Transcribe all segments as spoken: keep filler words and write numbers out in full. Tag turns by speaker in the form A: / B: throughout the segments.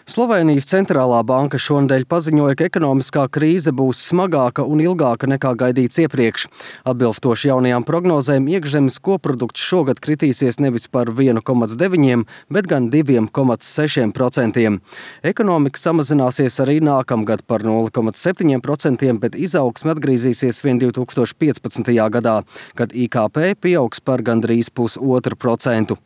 A: Slovēnijas centrālā banka šonedēļ paziņoja, ka ekonomiskā krīze būs smagāka un ilgāka nekā gaidīts iepriekš. Atbilstoši jaunajām prognozēm, iekšzemes koprodukts šogad kritīsies nevis par viens komats deviņi, bet gan divi komats seši procenti. Ekonomika samazināsies arī nākamgad par nulle komats septiņi procenti, bet izaugsme atgriezīsies vien divi tūkstoši piecpadsmitajā gadā, kad I K P pieaugs par gandrīz pusotru procentu.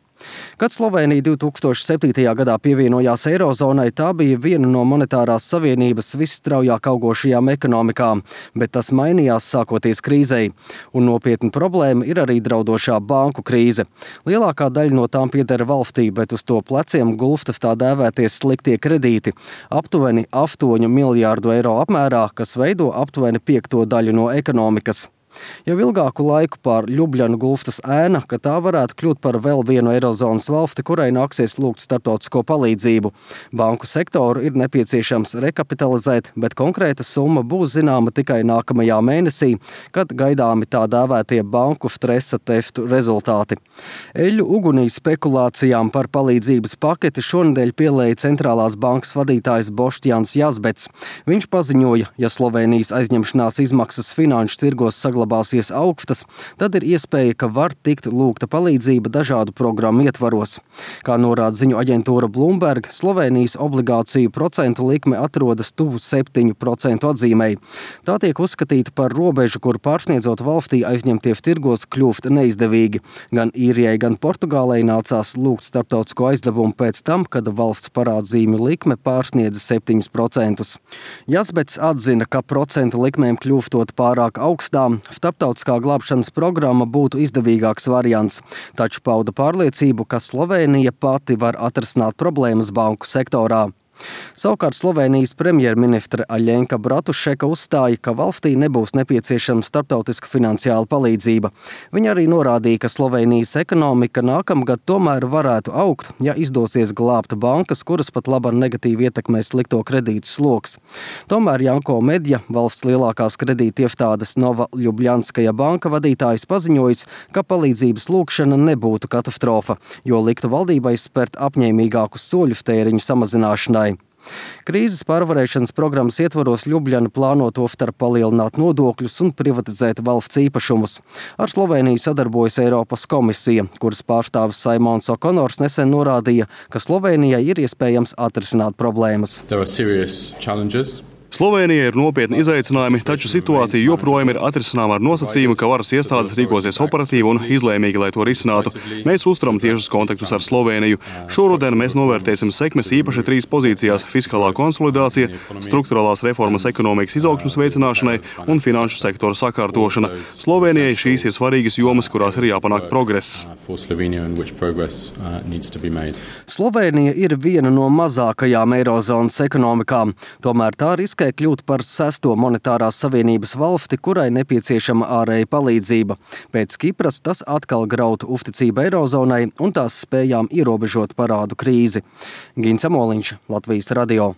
A: Kad Slovēnija divi tūkstoši septītajā gadā pievienojās Eirozonai, tā bija viena no monetārās savienības visstraujāk augošajām ekonomikām, bet tas mainījās sākoties krīzei. Un nopietna problēma ir arī draudošā banku krīze. Lielākā daļa no tām pieder valstī, bet uz to pleciem gulstas tā dēvēties sliktie kredīti – aptuveni astoņu miljārdu eiro apmērā, kas veido aptuveni piekto daļu no ekonomikas. Jau ilgāku laiku pār Ljubļanu gulstas ēna, ka tā varētu kļūt par vēl vienu Eirozonas valsti, kurai nāksies lūgt starptautisko palīdzību. Banku sektoru ir nepieciešams rekapitalizēt, bet konkrēta summa būs zināma tikai nākamajā mēnesī, kad gaidāmi tā dēvētie banku stresa testu rezultāti. Eļļu ugunī spekulācijām par palīdzības paketi šonedēļ pielēja centrālās bankas vadītājs Boštjans Yazbeks. Viņš paziņoja, ja Slovēnijas aizņemšanās izmaksas finanšu tirgos saglabāsies glabāsies augstas, tad ir iespēja, ka var tikt lūgta palīdzība dažādu programmu ietvaros. Kā norāda ziņu aģentūra Bloomberg, Slovēnijas obligāciju procentu likme atrodas tuvu septiņu procentu atzīmei. Tā tiek uzskatīta par robežu, kur pārsniedzot valstī aizņemtie tirgos kļūst neizdevīgi. Gan Īrijai, gan Portugālei nācās lūgt starptautisko aizdevumu pēc tam, kad valsts parādzīmju likme pārsniedza septiņus procentus. Yazbeks atzina, ka procentu likmēm kļūstot pārāk augstām, starptautiskā glābšanas programma būtu izdevīgāks variants, taču pauda pārliecību, ka Slovēnija pati var atrisināt problēmas banku sektorā. Savukārt Slovēnijas premjerministre Aļenka Bratušeka uzstāja, ka valstī nebūs nepieciešama starptautiska finansiāla palīdzība. Viņa arī norādīja, ka Slovēnijas ekonomika nākamgad tomēr varētu augt, ja izdosies glābt bankas, kuras pat labāk negatīvi ietekmē slikto kredītu sloks. Tomēr Janko Medja, valsts lielākās kredīta iestādes Nova Ljubljanskaja banka vadītājs, paziņojis, ka palīdzības lūgšana nebūtu katastrofa, jo liktu valdībai spērt apņēmīgākus soļus tēriņu samazināšanai. Krīzes pārvarēšanas programmas ietvaros Ljubļana plāno tostarp palielināt nodokļus un privatizēt valsts īpašumus. Ar Slovēniju sadarbojas Eiropas komisija, kuras pārstāvis Saimons Okonors nesen norādīja, ka Slovēnijai ir iespējams atrisināt problēmas.
B: Slovēnijai ir nopietni izaicinājumi, taču situācija joprojām ir atrisināma ar nosacījumu, ka varas iestādes rīkosies operatīvi un izlēmīgi, lai to risinātu. Mēs uzturam tiešus kontaktus ar Slovēniju. Šoruden mēs novērtēsim sekmes īpaši trīs pozīcijās – fiskālā konsolidācija, strukturālās reformas ekonomikas izaugsmes veicināšanai un finanšu sektora sakārtošana. Slovēnijai šīs ir svarīgas jomas, kurās ir jāpanāk progress.
A: Slovēnija ir viena no mazākajām Eirozonas ekonomikām, tomēr tā riskē kļūt par sesto monetārās savienības valsti, kurai nepieciešama ārēja palīdzība. Pēc Kipras tas atkal grautu uzticību Eirozonai un tās spējām ierobežot parādu krīzi. Gins Amoliņš, Latvijas radio.